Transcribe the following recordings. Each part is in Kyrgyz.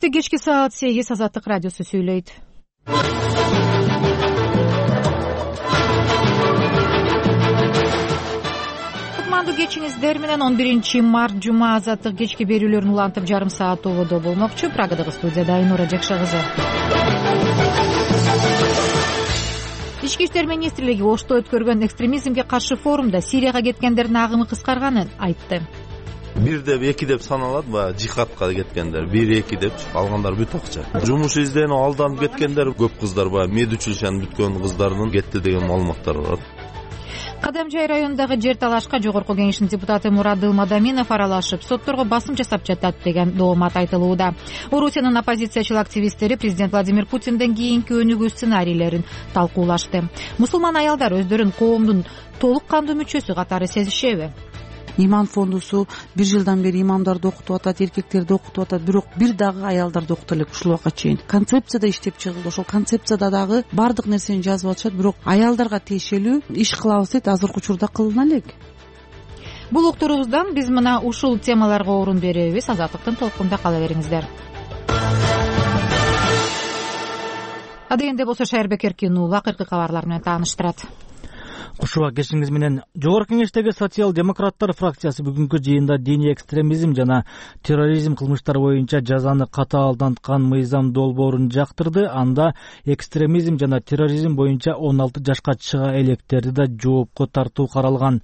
Чаршемби кечки саат 8 Азаттык радиосу сүйлөйт. Кутмандуу кечиңиздер менен 11 март жума Азаттык кечки берүүлөрүн улантып жарым саат ободо болмокчу. Прагадагы студияда Айнура Жакша кызы. Ички иштер министрлиги Ошто өткөргөн экстремизмге каршы форумда Сирияга кеткендердин агымы кыскарганын айтты. 1 деп 2 деп саналат, жихадка кеткендер 1-2 деп, алгандар бүт акча. Жумуш изденип алданып кеткендер көп кыздар мед училищенин бүткөн кыздардын кетти деген маалыматтар бар. Кадамжай районундагы жер талашка Жогорку кеңештин депутаты Мурадыл Мадаминов аралашып, сотторго басым жасап жатат деген доомат айтылууда. Орусиянын оппозициячыл активисттери президент Владимир Путинден кийинки өнүгүү сценарийлерин талкуулашты. Мусулман аялдар өздөрүн коомдун толук кандуу мүчөсү катары сезишеби? Иман фондусу 1 жылдан бери имамдарды окутуп атат, эркектерди окутуп атат, бирок бир дагы аялдарды окута элек ушул убакка чейин. Концепцияда иштеп чыгылды. Ошол концепцияда дагы бардык нерсени жазып атышат, бирок аялдарга тиешелүү иш кылабыз дейт, азыркы учурда кылына элек. Бул уктурубуздан биз мына ушул темаларга орун беребиз. Азаттыктын толкунда кала бериңиздер. Адегенде болсо Шайырбек Эркин уулу акыркы кабарлар менен тааныштырат. Кушуба кешиңиз менен. Жогорку кеңештеги социал-демократтар фракциясы бүгүнкү жыйында диний экстремизм жана терроризм кылмыштары боюнча жазаны катаалданткан мыйзам долбоорун жактырды. Анда экстремизм жана терроризм боюнча 16 жашка чыга электерди да жоопко тартуу каралган.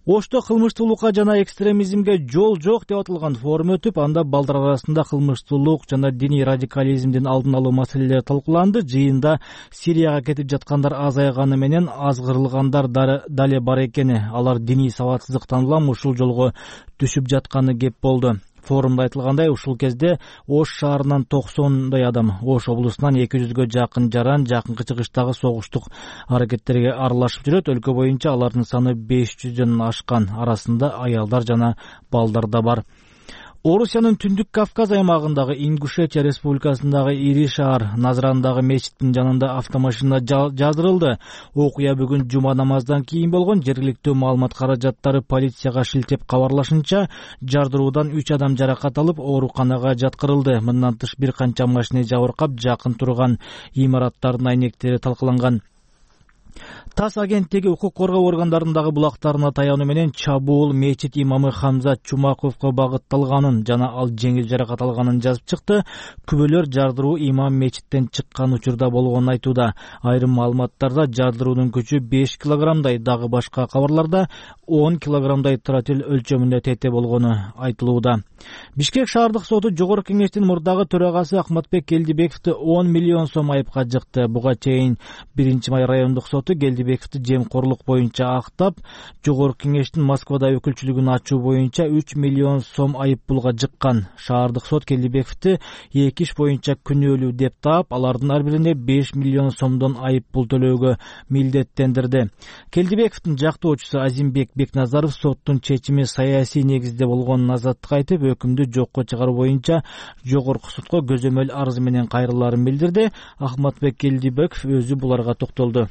Ошто кылмыштуулукка жана экстремизмге жол жок деп аталган форум өтүп, анда балдар арасында кылмыштуулук жана диний радикализмдин алдын алуу маселелери талкууланды. Жыйында Сирияга кетип жаткандар азайганы менен азгырылгандар дале бар экени, алар диний сабатсыздыктан улам ушул жолго түшүп жатканы кеп болду. Форумда айтылгандай, ушул кезде Ош шаарынан 90дай адам, Ош облусунан 200гө жакын жаран жакынкы чыгыштагы согуштук аракеттерге аралашып жүрөт. Өлкө боюнча алардын саны 500дөн ашкан, арасында аялдар жана балдар да бар. Орусиянын Түндүк Кавказ аймагындагы Ингушетия республикасындагы ири шаар Назрандагы мечиттин жанында автомашина жаздырылды. Окуя бүгүн жума намаздан кийин болгон. Жергиликтүү маалымат каражаттары полицияга шилтеп кабарлашынча, жардыруудан 3 адам жаракат алып, ооруканага жаткырылды. Мындан тыш бир канча машина жабыркап, жакын турган имараттардын айнектери талкаланган. ТАСС агенттиги укук коргоо органдарындагы булактарына таянуу менен чабуул мечит имамы Хамзат Чумаковго багытталганын жана ал жеңил жаракат алганын жазып чыкты. Күбөлөр жардыруу имам мечиттен чыккан учурда болгонун айтууда. Айрым маалыматтарда жардыруунун күчү 5 килограммдай, дагы башка кабарларда 10 килограммдай тротил өлчөмүндө тете болгону айтылууда. Бишкек шаардык соту Жогорку кеңештин мурдагы төрагасы Ахматбек Келдибековду 10 миллион сом айыпка жыкты. Буга чейин 1-май райондук соту Келдибековду жемкорлук боюнча актап, Жогорку кеңештин Москвада өкүлчүлүгүн ачуу боюнча 3 миллион сом айыппулга жыккан. Шаардык сот Келдибековду 2 иш боюнча күнөөлүү деп таап, алардын ар бирине 5 миллион сомдон айыппул төлөөгө милдеттендирди. Келдибековдун жактоочусу Азимбек Бекназаров соттун чечими саясий негизде болгонун азаттыкка айтып, өкүмдү жокко чыгаруу боюнча жогорку сотко көзөмөл арыз менен кайрылаарын билдирди. Ахматбек Келдибеков өзү буларга токтолду.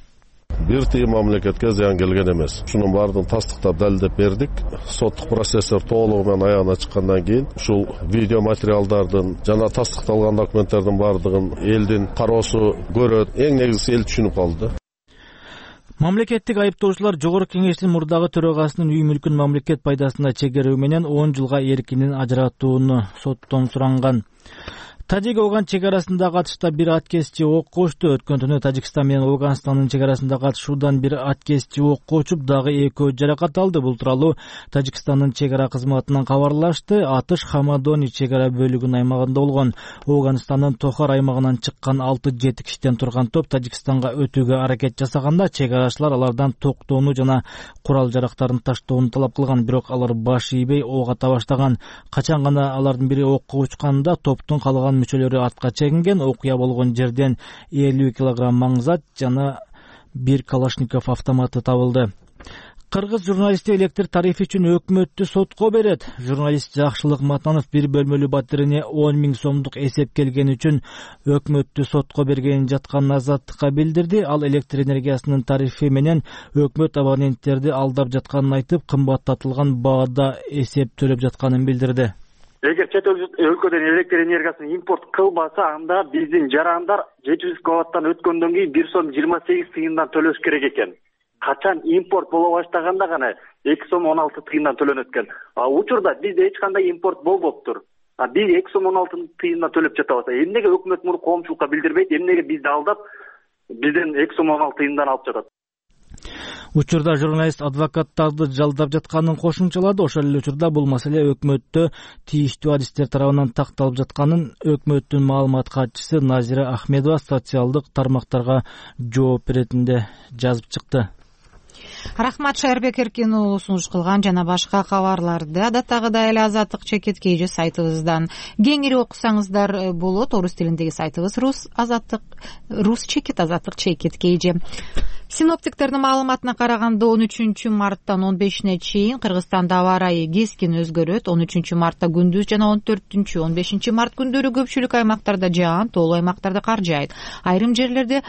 Бир тыйын мамлекетке зыян келген эмес. Ушунун баардыгын тастыктап далилдеп бердик. Соттук процесстер толугу менен аягына чыккандан кийин ушул видео материалдардын жана тастыкталган документтердин баардыгын элдин кароосу көрөт. Эң негизгиси эл түшүнүп калды. Мамлекеттик айыптоочулар Жогорку кеңештин мурдагы төрагасынын үй мүлкүн мамлекет пайдасына чегерүү менен 10 жылга эркинен ажыратууну соттон суранган. Тажик-Афган чегарасындагы атышта бир аткезчи ок кочту. Өткөн түнү Тажикстан менен Афганстандын чегарасындагы атышуудан бир аткезчи ок кочуп, дагы экөө жаракат алды. Бул тууралуу Тажикстандын чегара кызматынан кабарлашты. Атыш Хамадони чегара бөлүгүнүн аймагында болгон. Афганстандын Тохар аймагынан чыккан 6-7 кишиден турган топ Тажикстанга өтүүгө аракет жасаганда, чегарачылар алардан токтоону жана курал жарактарын таштоону талап кылган, бирок алар баш ийбей ок ата баштаган. Качан гана алардын бири окко учканда топтун калган мүчөлөрү артка чегинген. Окуя болгон жерден 50 килограмм маңзат жана 1 Калашников автоматы табылды. Кыргыз журналисти электр тарифи үчүн өкмөттү сотко берет. Журналист Жакшылык Матанов бир бөлмөлүү батирине 10 000 сомдук эсеп келгени үчүн өкмөттү сотко бергенин жаткан азаттыкка билдирди. Ал электр энергиясынын тарифи менен өкмөт абоненттерди алдап жатканын айтып, кымбаттатылган баада эсеп төлөп жатканын билдирди. Эгер чет өлкөдөн электр энергиясын импорт кылбаса, анда биздин жарандар 700 киловаттан өткөндөн кийин 1 сом 28 тыйындан төлөш керек экен. Качан импорт боло баштаганда гана 2 сом 16 тыйындан төлөнөт экен. Учурда бизде эч кандай импорт болбоптур. Биз 2 сом 16 тыйындан төлөп жатабыз. Эмнеге өкмөт муну коомчулукка билдирбейт? Эмнеге бизди алдап, бизден 2 сом 16 тыйындан алып жатат? Учурда журналист адвокаттарды жалдап жатканын кошумчалады. Ошол эле учурда бул маселе өкмөттө тийиштүү адистер тарабынан такталып жатканын өкмөттүн маалымат катчысы Назира Ахмедова социалдык тармактарга жооп беретинде жазып чыкты. Рахмат Шайырбек Эркин уулу сунуш кылган жана башка кабарларды адаттагыдай эле Азаттык чекит KG сайтыбыздан кеңири окусаңыздар болот. Орус тилиндеги сайтыбыз рус чекит Азаттык чекит KG. Синоптиктердин маалыматына караганда 13 марттан 15-не чейин Кыргызстанда аба ырайы кескин өзгөрөт. 13 мартта күндүз жана 14-15 март күндөрү көпчүлүк аймактарда жаан, тоолуу аймактарда кар жаайт. Айрым жерлерде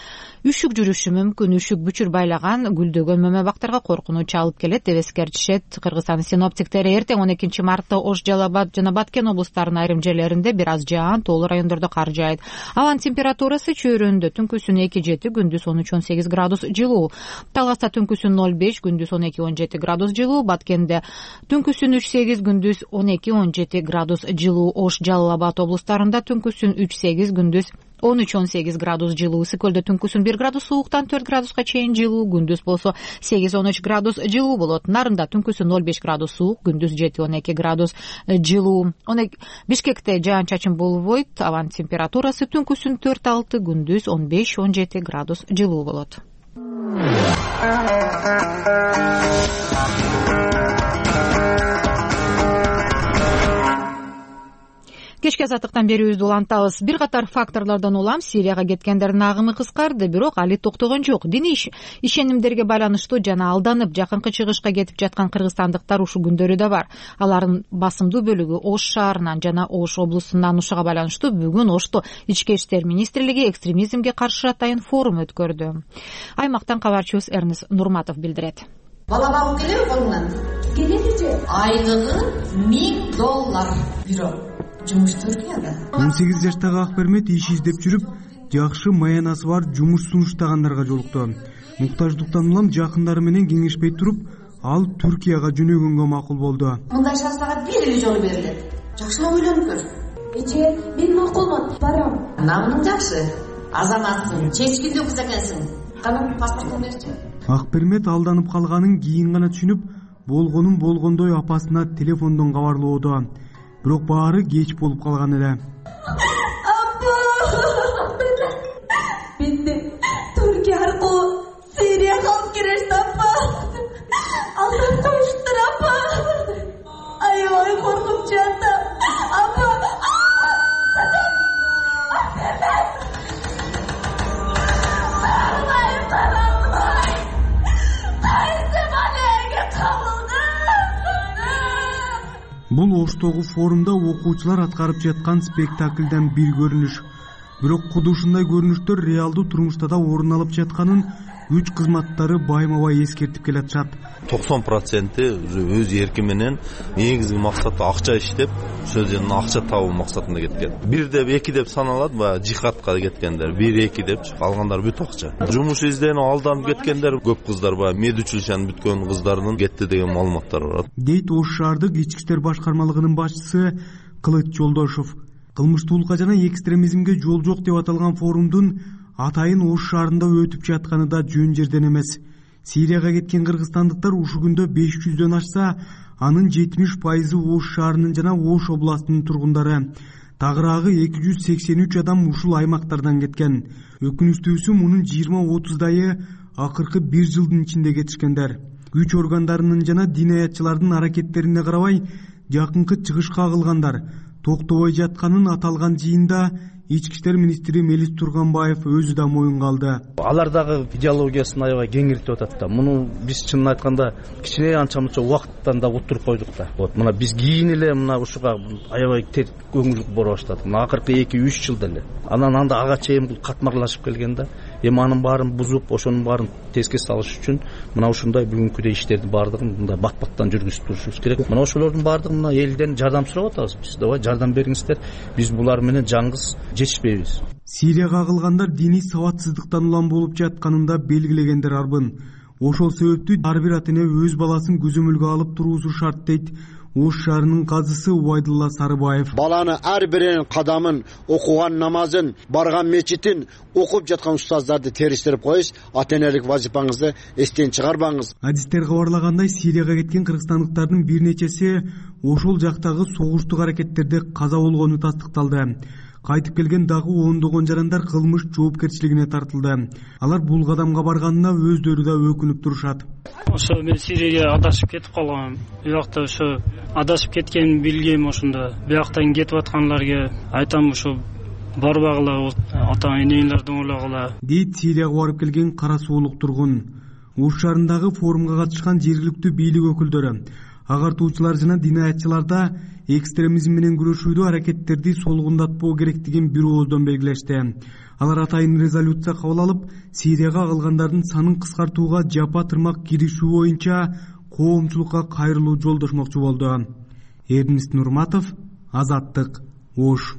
үшүк жүрүшү мүмкүн. Үшүк бүчүр байлаган гүлдөгөн мөмө бактарга коркунуч алып келет деп эскертишет Кыргызстан синоптиктери. Эртең 12 мартта Ош, Жалал Абад жана Баткен облустарынын айрым жерлеринде бир аз жаан, тоолуу райондордо кар жаайт. Абанын температурасы чөйрөндө түнкүсүн 2-7, күндүз 13-18 градус жылуу. Таласта түнкүсүн 0-5, күндүз 12-17 градус жылуу. Баткенде түнкүсүн 3-8, күндүз 12-17 градус жылуу. Ош, Жалал Абад облустарында түнкүсүн 3-8, күндүз 13-18 градус жылуу. Ысык-Көлдө түнкүсүн 1 градус сууктан 4 градуска чейин жылуу, күндүз болсо 8-13 градус жылуу болот. Нарында түнкүсүн 0-5 градус суук, күндүз 7-12 градус жылуу. Бишкекте жаан-чачын болбойт. Абанын температурасы түнкүсүн 4-6, күндүз 15-17 градус жылуу болот. Кечки азаттыктан берүүбүздү улантабыз. Бир катар факторлордон улам Сирияга кеткендердин агымы кыскарды, бирок али токтогон жок. Диний ишенимдерге байланыштуу жана алданып жакынкы чыгышка кетип жаткан кыргызстандыктар ушул күндөрү да бар. Алардын басымдуу бөлүгү Ош шаарынан жана Ош облусунан. Ушуга байланыштуу бүгүн Ошто Ички иштер министрлиги экстремизмге каршы атайын форум өткөрдү. Аймактан кабарчыбыз Эрнис Нурматов билдирет. Бала багуу келеби колуңан? Келеличи. Айлыгы $1000 бирок. 18 жаштагы Акбермет иш издеп жүрүп, жакшы маянасы бар жумуш сунуштагандарга жолукту. Муктаждыктан улам жакындары менен кеңешпей туруп, ал Түркияга жөнөгөнгө макул болду. Мындай шансага бир эле жолу берилет. Жакшыраак ойлонуп көр. Эже, мен макулмун, барам. Намың жакшы. Азаматсың, чечкинде кыз экенсиң. Кана паспортуңду берчи. Акбермет алданып калганын кийин гана түшүнүп, болгонун болгондой апасына телефондон кабарлоодо. Бирок баары кеч болуп калган эле. Апа! Менде Түркия аркылуу Сирияга алып келишти, апа. Алдап коюштур, апа. Аябай коркуп жатам. Апа! Бул Оштогу форумда окуучулар аткарып жаткан спектакльден бир көрүнүш. Бирок куду ушундай көрүнүштөр реалдуу турмушта да орун алып жатканын күч кызматтары байма-бай эскертип келатышат. 90% өз эрки менен негизги максаты акча иштеп, ошол жерден акча табуу максатында кеткен. 1 деп 2 деп саналат, баягы жихадка кеткендер 1-2 деп, калгандар бүт акча. Жумуш изденип алданып кеткендер көп кыздар, баягы мед училищенин бүткөн кыздардын кетти деген маалыматтар бар. Дейт Ош шаардык ички иштер башкармалыгынын башчысы Кылыч Жолдошов. Кылмыштуулукка жана экстремизмге жол жок деп аталган форумдун атайын Ош шаарында өтүп жатканы да жөн жерден эмес. Сирияга кеткен кыргызстандыктар ушул күндө 500дөн ашса, анын 70% Ош шаарынын жана Ош областынын тургундары. Тагыраагы 283 адам ушул аймактардан кеткен. Өкүнүчтүүсү мунун 20-30дайы акыркы 1 жылдын ичинде кетишкендер. Күч органдарынын жана динаятчылардын аракеттерине карабай, жакынкы чыгышка кагылгандар токтобой жатканын аталган жыйында Ички иштер министри Мелис Турганбаев өзү да моюнга алды. Алар дагы идеологиясын аябай кеңиртип атат да. Муну биз чынын айтканда кичине анча-мунча убакыттан да утуруп койдук да. Вот мына биз кийин эле мына ушуга аябай көңүл бура баштадык. Мына акыркы 2-3 жылда эле. Анан анда ага чейин бул катмарлашып келген да. эми анын баарын бузуп ошонун баарын теске салыш үчүн мына ушундай бүгүнкүдөй иштердин баардыгын мындай бат-баттан жүргүзүп турушубуз керек. Мына ошолордун баардыгы мына элден жардам сурап атабыз. Биз давай жардам бериңиздер. Биз булар менен жалгыз жетишпейбиз. Сирияга агылгандар диний сабатсыздыктан улам болуп жатканында белгилегендер арбын. Ошол себептүү ар бир ата эне өз баласын көзөмөлгө алып туруусу шарт дейт Ош шаарынын казысы Убайдулла Сарыбаев. Баланы ар биринин кадамын, окуган намазын, барган мечитин, окуп жаткан устаздарды териштирип коюш, ата энелик вазифаңызды эстен чыгарбаңыз. Адистер кабарлагандай, Сирияга кеткен кыргызстандыктардын бир нечеси ошол жактагы согуштук аракеттерде каза болгону тастыкталды. Кайтып келген дагы ондогон жарандар кылмыш жоопкерчилигине тартылды. Алар бул кадамга барганына өздөрү да өкүнүп турушат. Ошо мен Сирияга адашып кетип калгам. Буякта ошо адашып кеткенин билгем ошондо. Буяктан кетип аткандарга айтам ошо барбагыла, ата энеңердин ойлагыла. Дейт Сирияга барып келген кара суулук тургун. Ош шаарындагы форумга катышкан жергиликтүү бийлик өкүлдөрү, агартуучулар жана динаятчылар да экстремизм менен күрөшүүдө аракеттерди солгундатпоо керектигин бир ооздон белгилешти. Алар атайын резолюция кабыл алып, Сирияга агылгандардын санын кыскартууга жапа тырмак киришүү боюнча коомчулукка кайрылуу жолдошмокчу болду. Эрнест Нурматов, Азаттык, Ош.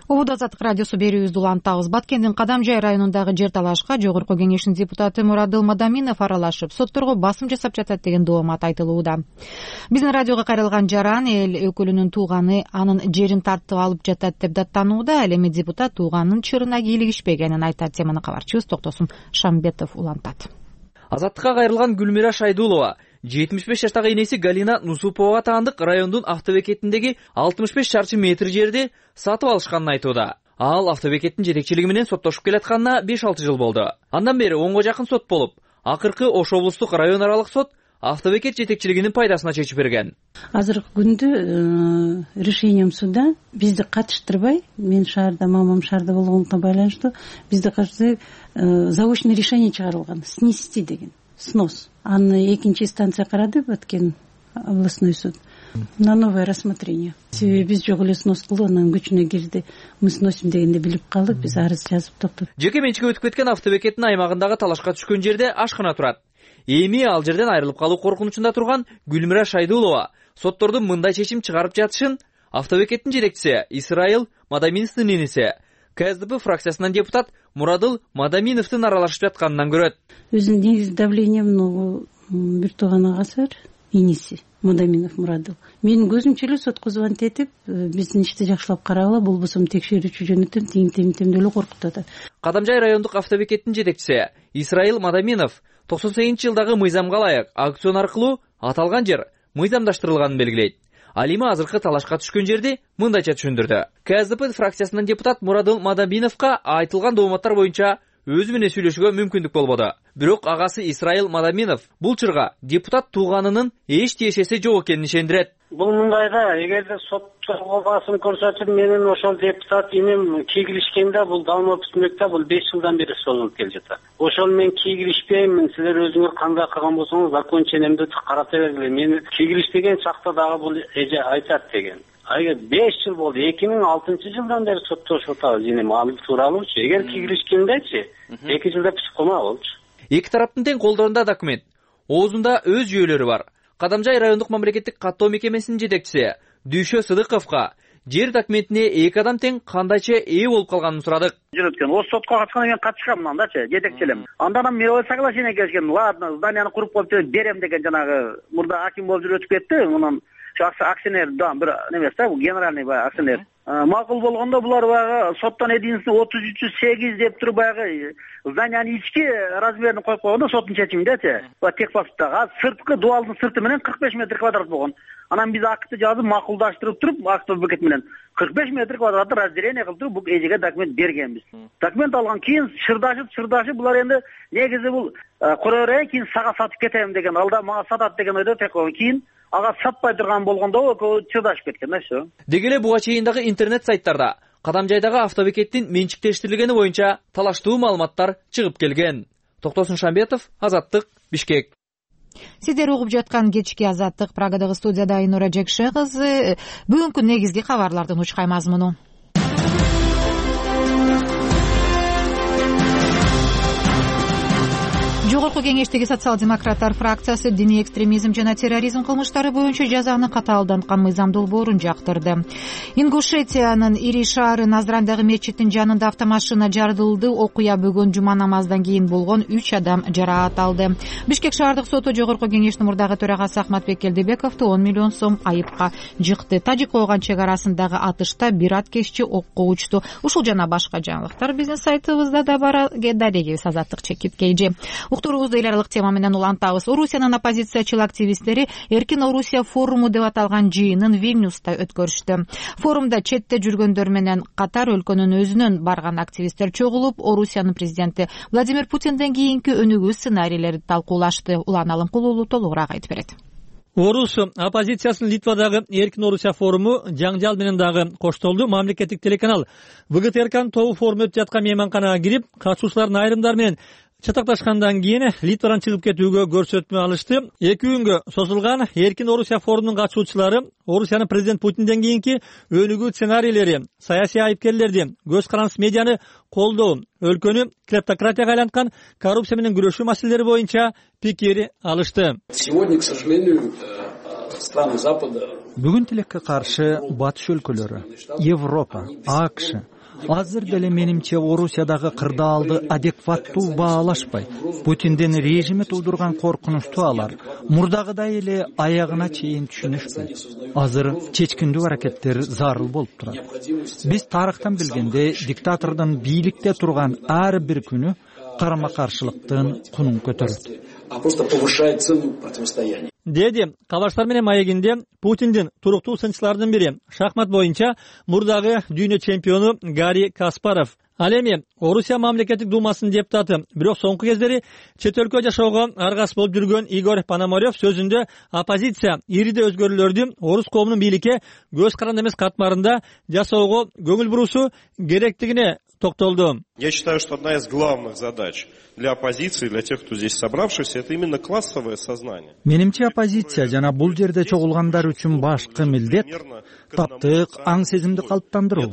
Убуд Азаттык радиосу берүүбүздү улантабыз. Баткендин Кадамжай районундагы жер талашка Жогорку Кеңештин депутаты Мурадыл Мадаминов аралашып, сотторго басым жасап жатат деген доомат айтылууда. Биздин радиого кайрылган жаран эл өкүлүнүн тууганы анын жерин тартып алып жатат деп даттанууда. Ал эми депутат тууганын чырына кийлигишпегенин айтат. Теманы кабарчыбыз Токтосун Шамбетов улантат. Азаттыкка кайрылган Гүлмира Шайдулова 75 жаштагы энеси Галина Нусуповага таандык райондун автобекетиндеги 65 чарчы метр жерди сатып алышканын айтууда. Ал автобекеттин жетекчилиги менен соттошуп келатканына 5-6 жыл болду. Андан бери 10го жакын сот болуп, акыркы Ош облустук район аралык сот автобекет жетекчилигинин пайдасына чечип берген. Азыркы күндө решением суда бизди катыштырбай, мен шаарда, мамам шаарда болгондуктан байланыштуу, бизди катыштырбай заочный решение чыгарылган, снести деген. Снос. Аны экинчи инстанция карады, Баткен областной суд. На новое рассмотрение. Себеби биз жок эле снос кылып, анан күчүнө кирди. Мы сносим дегенде билип калдык, биз арыз жазып токтоп. Жеке менчикке өтүп кеткен автобекеттин аймагындагы талашка түшкөн жерде ашкана турат. Эми ал жерден айрылып калуу коркунучунда турган Гүлмира Шайдулова соттордун мындай чечим чыгарып жатышын автобекеттин жетекчиси Исраил Мадаминовдун энеси, КСДП фракциясынан депутат Мурадыл Мадаминовдун аралашып жатканынан көрөт. Өзүнүн негизи давлением бир тууган агасы бар, энеси Мадаминов Мурадыл. Менин көзүмчө эле сотко звонить этип, биздин ишти жакшылап карагыла, болбосо текшерүүчү жөнөтөм, тим деле коркутуп атат. Кадамжай райондук автобекеттин жетекчиси Исраил Мадаминов 98-жылдагы мыйзамга ылайык аукцион аркылуу аталган жер мыйзамдаштырылганын белгилейт. Ал эми азыркы талашка түшкөн жерди мындайча түшүндүрдү. КСДП фракциясынан депутат Мурадыл Мадаминовго айтылган дооматтар боюнча өзү менен сүйлөшүүгө мүмкүндүк болбоду. Бирок агасы Исраил Мадаминов бул чырга депутат тууганынын эч тиешеси жок экенин ишендирет. Бул мындайда, эгерде сотторго басым көрсөтүп, менин ошол депутат иним кийгилишкенде, бул Далмов түзмөктө бул 5 жылдан бери созулуп келе жатат. Ошол мен кийгилишпеймин, силер өзүңөр кандай кылган болсоңуз, закон ченемди карата бергиле. Мен кийгилишпеген чакта дагы бул эже айтат деген. Эгер 5 жыл болду, 2006-жылдан бери соттошуп атабыз иним ал тууралуучу. Эгер кийгилишкендечи 2 жылда психкома болчу. Эки тараптын тең колдорунда документ. Оозунда өз жүйөлөрү бар. Кадамжай райондук мамлекеттик каттоо мекемесинин жетекчиси Дүйшө Сыдыковго жер документине эки адам тең кандайча ээ болуп калганын сурадык. Жүрөткөн. О сотко катышкандан кийин катышкам мындачы, жетекчилем. Андан мен соглашение келишкен. Ладно, зданияны куруп коюп берем деген жанагы мурда аким болуп жүрүп өтүп кетти. Мунун акционер да бир немес да, генеральный акционер. Макул болгондо булар баягы соттон единство 3308 деп туруп баягы зданиянын ички размерин коюп койгондо соттун чечиминдечи. Техпаспорттагы сырткы дуалдын сырты менен 45 метр квадрат болгон. Анан биз акты жазып макулдаштырып туруп, автобекет менен 45 метр квадратты разделение кылып туруп, бул эжеге документ бергенбиз. Документ алган кийин шырдашып булар энди негизи бул кое берейин, кийин сага сатып кетем деген, алда мага сатат деген ойдо тек кийин ага сатпай турган болгондо экөө чырдашып кеткен да все. Деги эле буга чейин дагы интернет сайттарда Кадамжайдагы автобекеттин менчиктештирилгени боюнча талаштуу маалыматтар чыгып келген. Токтосун Шамбетов, Азаттык, Бишкек. Сиздер угуп жаткан кечки Азаттык. Прагадагы студияда Айнура Жекше кызы. Бүгүнкү негизги кабарлардын учкай мазмуну. Жогорку Кеңештеги социал-демократтар фракциясы диний экстремизм жана терроризм кылмыштары боюнча жазаны катаалданткан мыйзам долбоорун жактырды. Ингушетиянын ири шаары Назрандагы мечиттин жанында автомашина жарылды. Окуя бүгүн жума намаздан кийин болгон 3 адам жараат алды. Бишкек шаардык соту Жогорку Кеңештин мурдагы төрагасы Ахматбек Келдебековду 10 миллион сом айыпка жыкты. Тажик-Ооган чек арасындагы атышта бир аткезчи окко учту. Ушул жана башка жаңылыктар биздин сайтыбызда да бар. Дарегебиз Азаттык Чекит Кейжи. Уктуруубузду эл аралык тема менен улантабыз. Орусиянын оппозициячыл активисттери Эркин Орусия форуму деп аталган жыйынын Вильнюста өткөрүштү. Форумда четте жүргөндөр менен катар өлкөнүн өзүнөн барган активисттер чогулуп, Орусиянын президенти Владимир Путинден кийинки өнүгүү сценарийлерди талкуулашты. Улан Алымкулуулу толугураак айтып берет. Орус оппозициясынын Литвадагы Эркин Орусия форуму жаңжал менен дагы коштолду. Мамлекеттик телеканал ВГТРКнын тобу форум өтүп жаткан мейманканага кирип, катышуучулардын айрымдары менен чатакташкандан кийин Литвадан чыгып кетүүгө көрсөтмө алышты. 2 күнгө созулган Эркин Орусия форумунун катышуучулары Орусиянын президент Путинден кийинки өнүгүү сценарийлери, саясий айыпкерлерди, көз карандысыз медианы колдоо, өлкөнү клептократияга айланткан коррупция менен күрөшүү маселелери боюнча пикир алышты. Сегодня, к сожалению, страны Запада. Бүгүн тилекке каршы батыш өлкөлөрү, Европа, АКШ азыр деле менимче Орусиядагы кырдаалды адекваттуу баалашпай, Путиндин режими туудурган коркунучту алар мурдагыдай эле аягына чейин түшүнүшпөйт. Азыр чечкиндүү аракеттер зарыл болуп турат. Биз тарыхтан билгенде диктатордун бийликте турган ар бир күнү карама-каршылыктын кунун көтөрөт. А просто повышает цену противостояния. Деди Калаштар менен маегинде Путиндин туруктуу сынчыларынын бири шахмат боюнча мурдагы дүйнө чемпиону Гарри Каспаров. Ал эми Орусия мамлекеттик думасынын депутаты, бирок соңку кездери чет өлкө жашоого аргас болуп жүргөн Игорь Пономарев сөзүндө оппозиция ириде өзгөрүүлөрдү орус коомунун бийликке көз каранды эмес катмарында жасоого көңүл буруусу керектигине токтолду. Я считаю, что одна из главных задач для оппозиции, для тех, кто здесь собравшийся, это именно классовое сознание. Менимче оппозиция жана бул жерде чогулгандар үчүн башкы милдет таптык, аң сезимди калыптандыруу.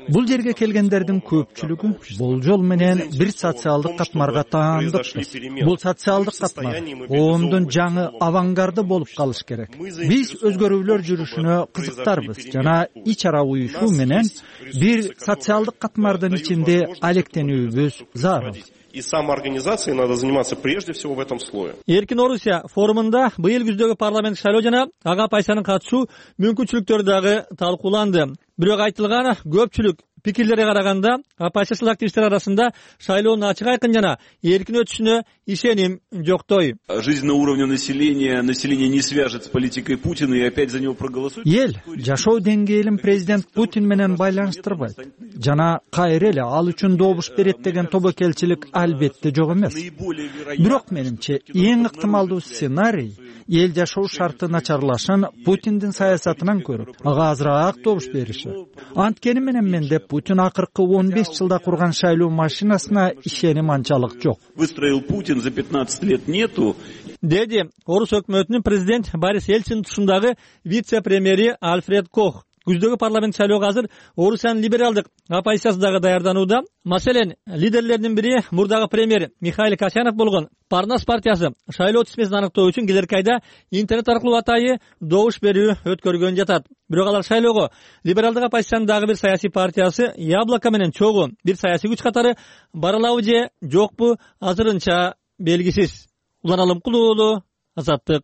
Бул жерге келгендердин көпчүлүгү болжол менен бир социалдык катмарга таандыкпыз. Бул социалдык катмар коомдун жаңы авангарды болуп калыш керек. Биз өзгөрүүлөр жүрүшүнө кызыктарбыз жана ич ара уюшуу менен бир социалдык катмардын ичинде алектенүүбүз зарыл. И самоорганизацией надо заниматься прежде всего в этом слое. Эркин Орусия форумунда быйыл күздөгү парламент шайлоо жана ага пайсанын катышуу мүмкүнчүлүктөрү дагы талкууланды. Бирок айтылган көпчүлүк пикирлерге караганда оппозициялык активисттер арасында шайлоонун ачык айкын жана эркин өтүшүнө ишеним жоктой. Жизнь на уровне населения не свяжет с политикой Путина и опять за него проголосует. Эл жашоо деңгээлин президент Путин менен байланыштырбайт. Жана кайра эле ал үчүн добуш берет деген тобокелчилик албетте жок эмес. Бирок менимче эң ыктымалдуу сценарий эл жашоо шарты начарлашын Путиндин саясатынан көрүп, ага азыраак добуш бериши. Анткени менен менде Путин акыркы 15 жылда курган шайлоо машинасына ишеним анчалык жок. Выстроил Путин за 15 лет нету. Деди Орус өкмөтүнүн президент Борис Ельцин тушундагы вице-премьери Альфред Кох. Күздөгү парламент шайлоого азыр Орусиянын либералдык оппозициясы дагы даярданууда. Маселен, лидерлердин бири мурдагы премьер Михаил Касьянов болгон Парнас партиясы шайлоо тизмесин аныктоо үчүн келерки айда интернет аркылуу атайы добуш берүү өткөргөн жатат. Бирок алар шайлоого либералдык оппозициянын дагы бир саясий партиясы Яблоко менен чогуу бир саясий күч катары баралабы же жокпу азырынча белгисиз. Улан Алымкулуулу, Азаттык.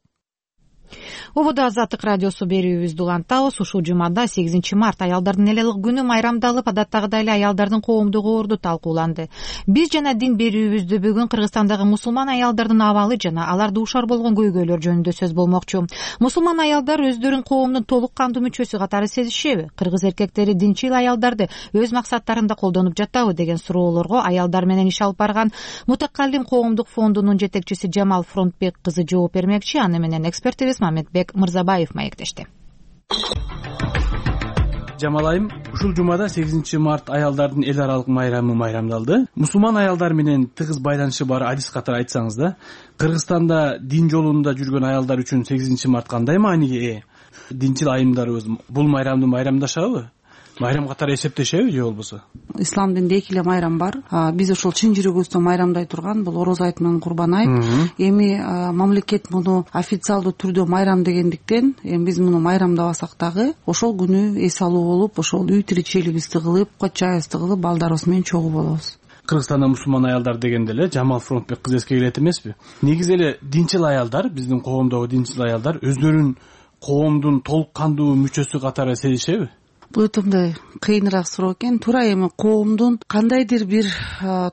Ободо Азаттык радиосу берүүбүздү улантабыз. Ушул жумада 8 март аялдардын элелик күнү майрамдалып, адаттагыдай эле аялдардын коомдук орду талкууланды. Биз жана дин берүүбүздө бүгүн Кыргызстандагы мусулман аялдардын абалы жана алар дуушар болгон көйгөйлөр жөнүндө сөз болмокчу. Мусулман аялдар өздөрүн коомдун толук кандуу мүчөсү катары сезишеби? Кыргыз эркектери динчил аялдарды өз максаттарында колдонуп жатабы деген суроолорго аялдар менен иш алып барган Мутакаллим коомдук фондунун жетекчиси Жамал Фронтбек кызы жооп бермекчи. Аны менен экспертибиз Мамедбек Мырзабаев маектешти. Жамал айым, ушул жумада 8 март аялдардын эл аралык майрамы майрамдалды. Мусулман аялдар менен тыгыз байланышы бар адис катары айтсаңыз да, Кыргызстанда дин жолунда жүргөн аялдар үчүн 8 март кандай мааниге ээ? Динчил айымдарыбыз бул майрамды майрамдашабы? майрам катары эсептешеби же болбосо? Ислам дининде эки эле майрам бар. Биз ошол чын жүрөгүбүздөн майрамдай турган бул Ороз айт менен Курбан айт. Эми мамлекет муну официалдуу түрдө майрам дегендиктен эми биз муну майрамдабасак дагы ошол күнү эс алуу болуп, ошол үй тиричилигибизди кылып, чайыбызды кылып, балдарыбыз менен чогуу болобуз. Кыргызстанда мусулман аялдар дегенде эле Жамал Фронтбек кызы эске келет эмеспи? Негизи эле динчил аялдар, биздин коомдогу динчил аялдар өздөрүн коомдун толук кандуу мүчөсү катары сезишеби? Бул өтө мындай кыйыныраак суроо экен. Туура эми коомдун кандайдыр бир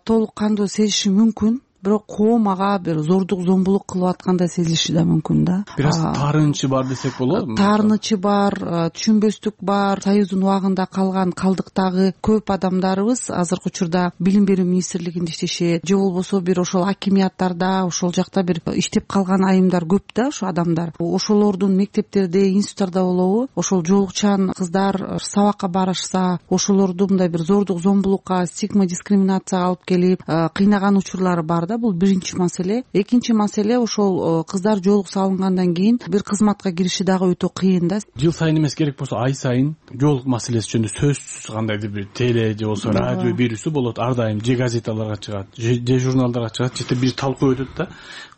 толук кандуу сезиши мүмкүн, бирок коом ага бир зордук зомбулук кылып аткандай сезилиши да мүмкүн да. Бир аз таарынычы бар десек болобу? Таарынычы бар, түшүнбөстүк бар. Союздун убагында калган калдыктагы көп адамдарыбыз азыркы учурда билим берүү министрлигинде иштешет, же болбосо бир ошол акимияттарда, ошол жакта бир иштеп калган айымдар көп да, ошо адамдар. Ошолордун мектептерде, институттарда болобу, ошол жоолукчан кыздар сабакка барышса, ошолорду мындай бир зордук зомбулукка, стигма, дискриминацияга алып келип кыйнаган учурлары бар да. Бул биринчи маселе. Экинчи маселе ошол кыздар жоолук салынгандан кийин бир кызматка кириши дагы өтө кыйын да. Жыл сайын эмес, керек болсо ай сайын жоолук маселеси жөнүндө сөзсүз кандайдыр бир теле же болбосо радио берүүсү болот. Ар дайым же газеталарга чыгат, же журналдарга чыгат, же бир талкуу өтөт да.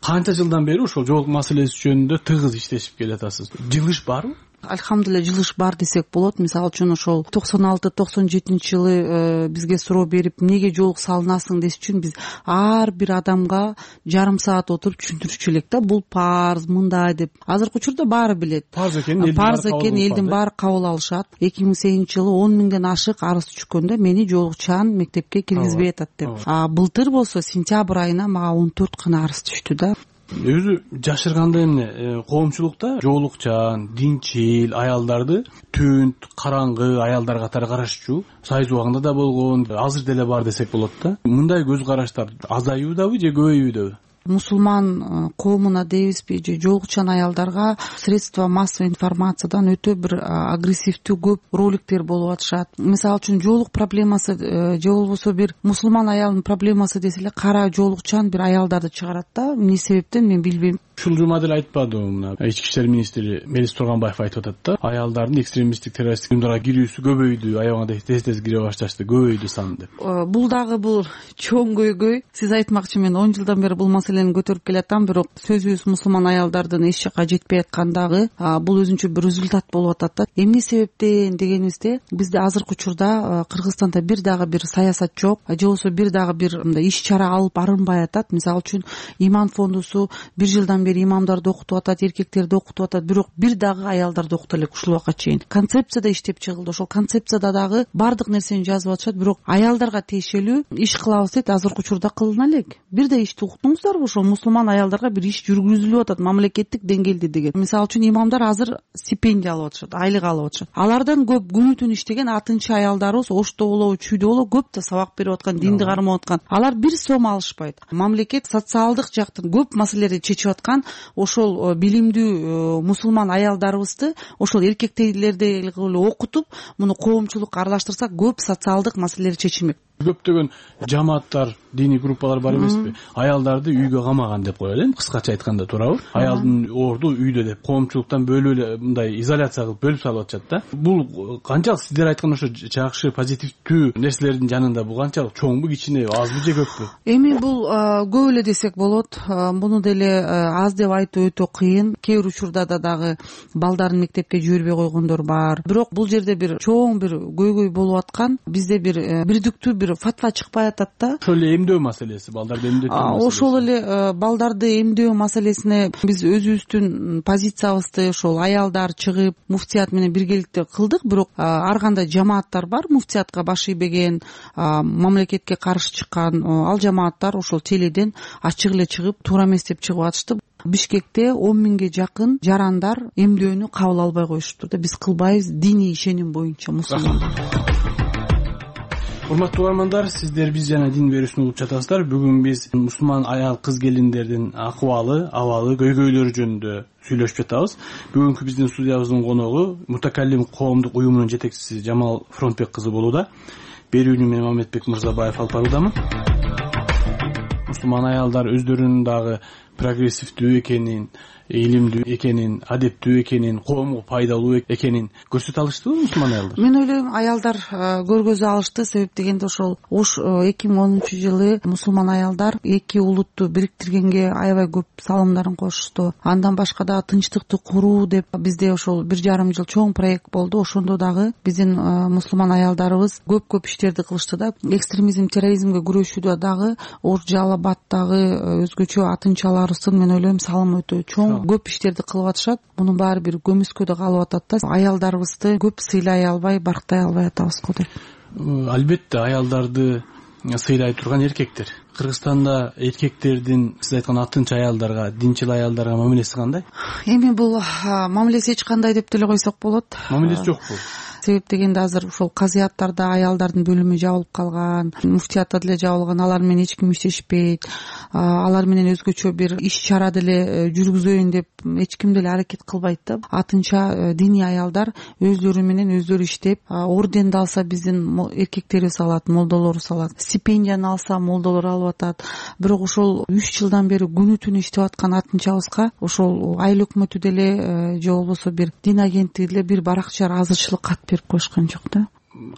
Канча жылдан бери ошол жоолук маселеси жөнүндө тыгыз иштешип келатасыз. Жылыш барбы? Альхамдулилля, жылыш бар десек болот. Мисалы үчүн ошол 96-97 жылы бизге суроо берип, эмнеге жоолук салынасың деш үчүн биз ар бир адамга жарым саат отуруп түшүндүрчү элек да. Бул парз, мындай деп. Азыркы учурда баары билет. Парз экен, элдин баары кабыл алышат. 2008 жылы 10 миңден ашык арыз түшкөндө мени жоолукчан мектепке киргизбей атат деп. Былтыр болсо сентябрь айына мага 14 гана арыз түштү да. Өзү жашырганда эмне коомчулукта жоолукчан, динчил аялдарды түнт, караңгы аялдар катары карашчу Союз убагында да болгон, азыр деле бар десек болот да. Мындай көз караштар азаюудабы же көбөйүүдөбү? Мусулман коомуна дейбизби же жоолукчан аялдарга средства массовой информациядан өтө бир агрессивдүү көп роликтер болуп атышат. Мисалы үчүн жоолук проблемасы же болбосо бир мусулман аялдын проблемасы десе эле кара жоолукчан бир аялдарды чыгарат да. Эмне себептен мен билбейм. Ушул жума деле айтпадыбы, мына ички иштер министри Мелис Турганбаев айтып атат да, аялдардын экстремисттик террористтик уюмдарга кирүүсү көбөйдү, аябаганда тез кире башташты, көбөйдү саны деп. Бул дагы бул чоң көйгөй. Сиз айтмакчы, мен 10 жылдан бери бул маселени көтөрүп келатам, бирок сөзүбүз мусулман аялдардын эч жакка жетпей аткандагы бул өзүнчө бир результат болуп атат да. Эмне себептен дегенибизде, бизде азыркы учурда Кыргызстанда бир дагы бир саясат жок, же болбосо бир дагы бир мындай иш чара алып барылбай атат. Мисалы үчүн иман фондусу бир жылдан бери имамдарды окутуп атат, эркектерди окутуп атат, бирок бир дагы аялдарды окута элек ушул убакка чейин. Концепцияда иштеп чыгылды. Ошол концепцияда дагы бардык нерсени жазып атышат, бирок аялдарга тиешелүү иш кылабыз дейт, азыркы учурда кылына элек. Бир да ишти уктуңуздарбы? Ошол мусулман аялдарга бир иш жүргүзүлүп атат мамлекеттик деңгээлде деген. Мисалы үчүн имамдар азыр стипендия алып атышат, айлык алып атышат. Алардан көп күнү түн иштеген атынчы аялдарыбыз Ошто болобу, Чүйдө болобу көп да сабак берип аткан, динди кармап аткан. Алар бир сом алышпайт. Мамлекет социалдык жактын көп маселелерди чечип аткан ошол билимдүү мусулман аялдарыбызды ошол эркектейлердей окутуп, муну коомчулукка аралаштырсак көп социалдык маселелер чечилмек. Көптөгөн жамааттар, диний группалар бар эмеспи? Аялдарды үйгө камаган деп коелу эми, кыскача айтканда, туурабы? Аялдын орду үйдө деп, коомчулуктан бөлүп эле мындай изоляция кылып бөлүп салып атышат да. Бул канчалык сиздер айткан ошо жакшы, позитивдүү нерселердин жанында бул канчалык чоңбу, кичине, азбы же көппү? Эми бул көп эле десек болот. Муну деле аз деп айтуу өтө кыйын. Кээ бир учурда дагы балдарын мектепке жибербей койгондор бар. Бирок бул жерде бир чоң бир көйгөй болуп аткан. Бизде бир бирдиктүү бир фатва чыкпай атат да. Ошол эле эмдөө маселеси, балдарды эмдөө маселеси. Ошол эле балдарды эмдөө маселесине биз өзүбүздүн позициябызды ошол аялдар чыгып муфтият менен биргеликте кылдык, бирок ар кандай жамааттар бар муфтиятка баш ийбеген, мамлекетке каршы чыккан, ал жамааттар ошол теледен ачык эле чыгып туура эмес деп чыгып атышты. Бишкекте 10 миңге жакын жарандар эмдөөнү кабыл албай коюшуптур да. Биз кылбайбыз, диний ишеним боюнча мусулмандар. Урматтуу угармандар, сиздер биз жана дин берүүсүн угуп жатасыздар. Бүгүн биз мусулман аял кыз келиндердин акыбалы, абалы, көйгөйлөрү жөнүндө сүйлөшүп жатабыз. Бүгүнкү биздин студиябыздын коногу Мутакаллим коомдук уюмунун жетекчиси Жамал Фронтбек кызы болууда. Берүүнү мен Мамедбек Мырзабаев алып баруудамын. Мусулман аялдар өздөрүнүн дагы прогрессивдүү экенин, илимдүү экенин, адептүү экенин, коомго пайдалуу экенин көрсөтө алыштыбы мусулман аялдар? Мен ойлойм, аялдар көргөзө алышты. Себеп дегенде ошол 2010-жылы мусулман аялдар эки улутту бириктиргенге аябай көп салымдарын кошушту. Андан башка дагы тынчтыкты куруу деп бизде ошол 1,5 жыл чоң проект болду. Ошондо дагы биздин мусулман аялдарыбыз көп иштерди кылышты да. Экстремизм, терроризмге күрөшүүдө дагы Жалал Абаддагы өзгөчө атынчаларыбыздын мен ойлойм салымы өтө чоң, көп иштерди кылып атышат. Мунун баары бир көмүскөдө калып атат да. Аялдарыбызды көп сыйлай албай, барктай албай атабыз го деп. Албетте аялдарды сыйлай турган эркектер. Кыргызстанда эркектердин сиз айткан атынча аялдарга, динчил аялдарга мамилеси кандай? Эми бул мамилеси эч кандай деп деле койсок болот. Мамилеси жокпу? Себеп дегенде азыр ошол казыяттарда аялдардын бөлүмү жабылып калган, муфтиятта деле жабылган, алар менен эч ким иштешпейт. Алар менен өзгөчө бир иш чара деле жүргүзөйүн деп эч ким деле аракет кылбайт да. Атынча диний аялдар өзлөрү менен өздөрү иштеп, орденди алса биздин эркектерибиз алат, молдолорубуз алат. Стипендияны алса молдолор алып атат. Бирок ошол 3 жылдан бери күнү түнү иштеп аткан атынчабызга ошол айыл өкмөтү деле же болбосо бир дин агенттиги деле бир баракча ыраазычылык кат берип коюшкан жок да.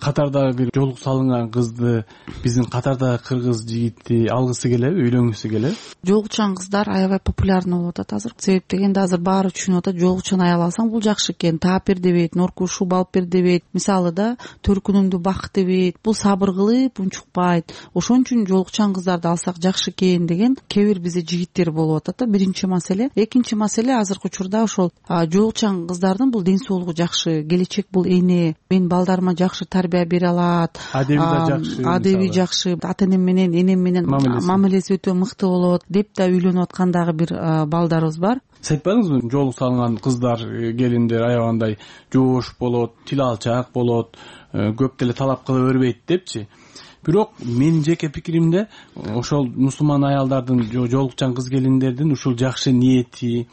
Катардагы бир жолук салынган кызды биздин катардагы кыргыз жигити алгысы келеби, үйлөнгүсү келеби? Жолукчан кыздар аябай популярный болуп атат азыр. Себеп дегенде азыр баары түшүнүп атат, жолукчан аял алсаң бул жакшы экен, таап бер дебейт, норку шуба алып бер дебейт. Мисалы да төркүнүмдү бак дебейт. Бул сабыр кылып унчукпайт. Ошон үчүн жолукчан кыздарды алсак жакшы экен деген кээ бир бизде жигиттер болуп атат да. Биринчи маселе. Экинчи маселе, азыркы учурда ошол жолукчан кыздардын бул ден соолугу жакшы, келечек бул эне, мен балдарыма жакшы тарбия бере алат, адеби жакшы, ата энем менен, энем менен мамилеси өтө мыкты болот деп да үйлөнүп аткан дагы бир балдарыбыз бар. Сиз айтпадыңызбы, жолук салынган кыздар, келиндер аябагандай жоош болот, тил алчаак болот, көп деле талап кыла бербейт депчи. Бирок менин жеке пикиримде ошол мусулман аялдардын, жолукчан кыз келиндердин ушул жакшы ниети,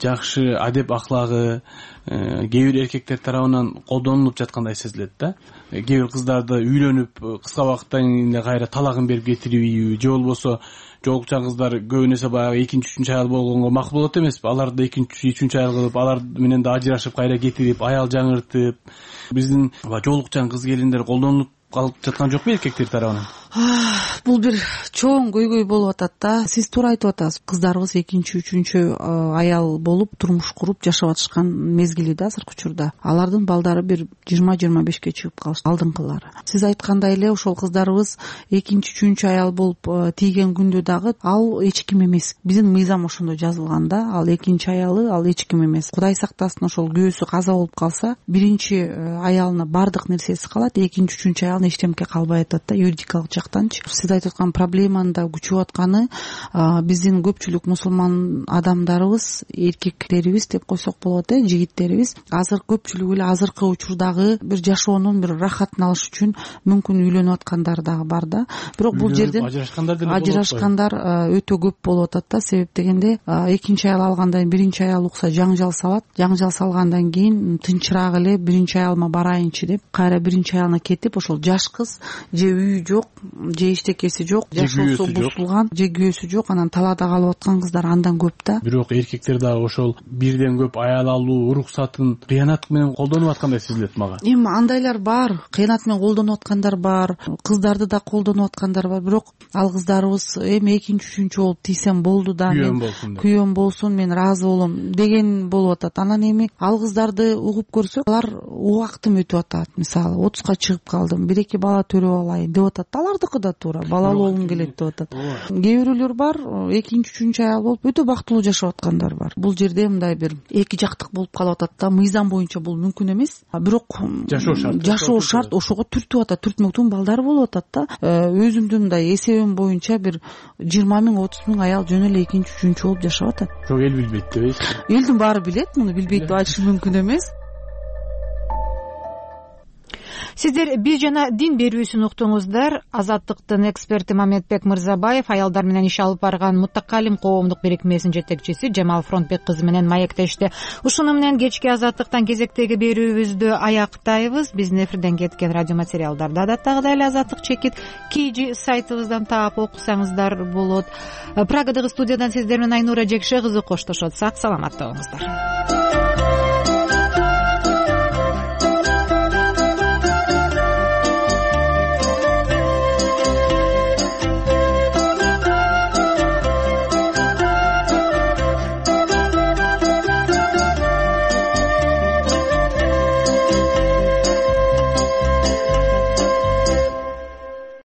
жакшы адеп аклагы кээ бир эркектер тарабынан колдонулуп жаткандай сезилет да. Кээ бир кыздарды үйлөнүп кыска убакыттан кийин кайра талагын берип кетирүүбү, же болбосо жолукчан кыздар көбүн эсе баягы экинчи, үчүнчү аял болгонго макул болот эмеспи? Аларды экинчи, үчүнчү аял кылып, алар менен да ажырашып кайра кетирип, аял жаңыртып, биздин жолукчан кыз келиндер колдонулуп калып жаткан жокпу эркектер тарабынан? Бул бир чоң көйгөй болуп атат да. Сиз туура айтып атасыз. Кыздарыбыз экинчи, үчүнчү аял болуп турмуш куруп жашап атышкан мезгили да азыркы учурда. Алардын балдары бир 20-25ке чыгып калышты алдыңкылары. Сиз айткандай эле ошол кыздарыбыз экинчи, үчүнчү аял болуп тийген күндө дагы ал эч ким эмес. Биздин мыйзам ошондо жазылган да. Ал экинчи аялы, ал эч ким эмес. Кудай сактасын, ошол күйөөсү каза болуп калса, биринчи аялына бардык нерсеси калат, экинчи, үчүнчү аялына эчтеке калбай атат да, юридикалык жактанчы. Сиз айтып аткан проблеманын да күчөп атканы биздин көпчүлүк мусулман адамдарыбыз, эркектерибиз деп койсок болот, жигиттерибиз азыр көпчүлүгү эле азыркы учурдагы бир жашоонун бир рахатын алыш үчүн мүмкүн үйлөнүп аткандар дагы бар да. Бирок бул жерден ажырашкандар өтө көп болуп атат да. Себеп дегенде экинчи аял алгандан биринчи аял укса жаңжал салат, жаңжал салгандан кийин тынчыраак эле биринчи аялыма барайынчы деп кайра биринчи аялына кетип, ошол жаш кыз же үйү жок, же иштекеси жок, жашоосу бузулган, же күйөөсү жок, анан талаада калып аткан кыздар андан көп да. Бирок эркектер дагы ошол бирден көп аял алуу уруксатын кыянат менен колдонуп аткандай сезилет мага. Эми андайлар бар, кыянат менен колдонуп аткандар бар, кыздарды да колдонуп аткандар бар. Бирок ал кыздарыбыз эми экинчи, үчүнчү болуп тийсем болду да, мен күйөөм болсун, мен ыраазы болом деген болуп атат. Анан эми ал кыздарды угуп көрсөк, алар убактым өтүп атат. Мисалы 30ка чыгып калдым, 1-2 бала төрөп алайын деп атат. Алардыкы да туура, балалуу болгум келет деп атат. Кээ бирөөлөр бар, экинчи, үчүнчү аял болуп өтө бактылуу жашап аткандар бар. Бул жерде мындай бир эки жактык болуп калып атат да. Мыйзам боюнча бул мүмкүн эмес. Бирок жашоо шарт, ошого түртүп атат, түртмөктүн балдары болуп атат да. Өзүмдүн мындай эсебим боюнча бир 20 000, 30 000 аял жөн эле экинчи, үчүнчү болуп жашап атат. Жок, эл билбейт дебейсизби? Элдин баары билет, муну билбейт деп айтыш мүмкүн эмес. Сиздер биз жана дин берүүсүн уктуңуздар. Азаттыктын эксперти Мамедбек Мырзабаев, аялдар менен иш алып барган Мутакалим коомдук бирикмесинин жетекчиси Жамал Фронтбек кызы менен маектешти. Ушуну менен кечки Азаттыктан кезектеги берүүбүздү аяктайбыз. Биздин эфирден кеткен радио материалдарды адаттагыдай эле Азаттык чекит KG сайтыбыздан таап окусаңыздар болот. Прагадагы студиядан сиздер менен Айнура Жекше кызы коштошот. Сак саламатта болуңуздар.